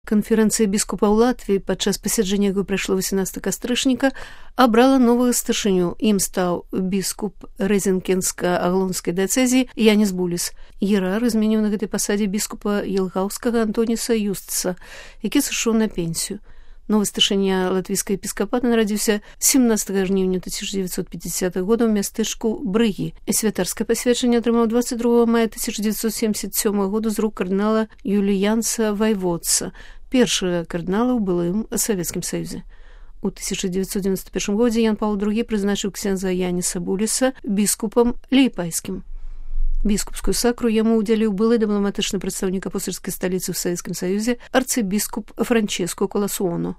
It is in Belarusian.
Канферэнцыя біскупаў Латвіі, падчас пасяджэння якой прайшло 18 кастрычніка, абрала новага старшыню. Ім стаў біскуп Рэзенкенска-Аглонскай дыяцэзіі Янис Буліс. Єрар змяніў на гэтай пасадзе біскупа Елгаўскага Антоніса Юстца, які сышоў на пенсію. Новы старшыня латвійскага епіскапата нарадзіўся 17 жніўня 1950 года ў мястэчку Брыгі. Святарскае пасвячэнне атрымаў 22 мая 1977 года з рук кардынала Юліянса Вайводца, першага кардынала ў былым Савецкім Саюзе. У 1991 годзе Ян Паўл II прызначыў ксяндза Яніса Буліса біскупам лейпайскім. Біскупскую сакру яму ўдзяліў былы дыпламатычны прадстаўнік апостальскай сталіцы ў Савецкім Саюзе арцыбіскуп Франческо Коласуоно.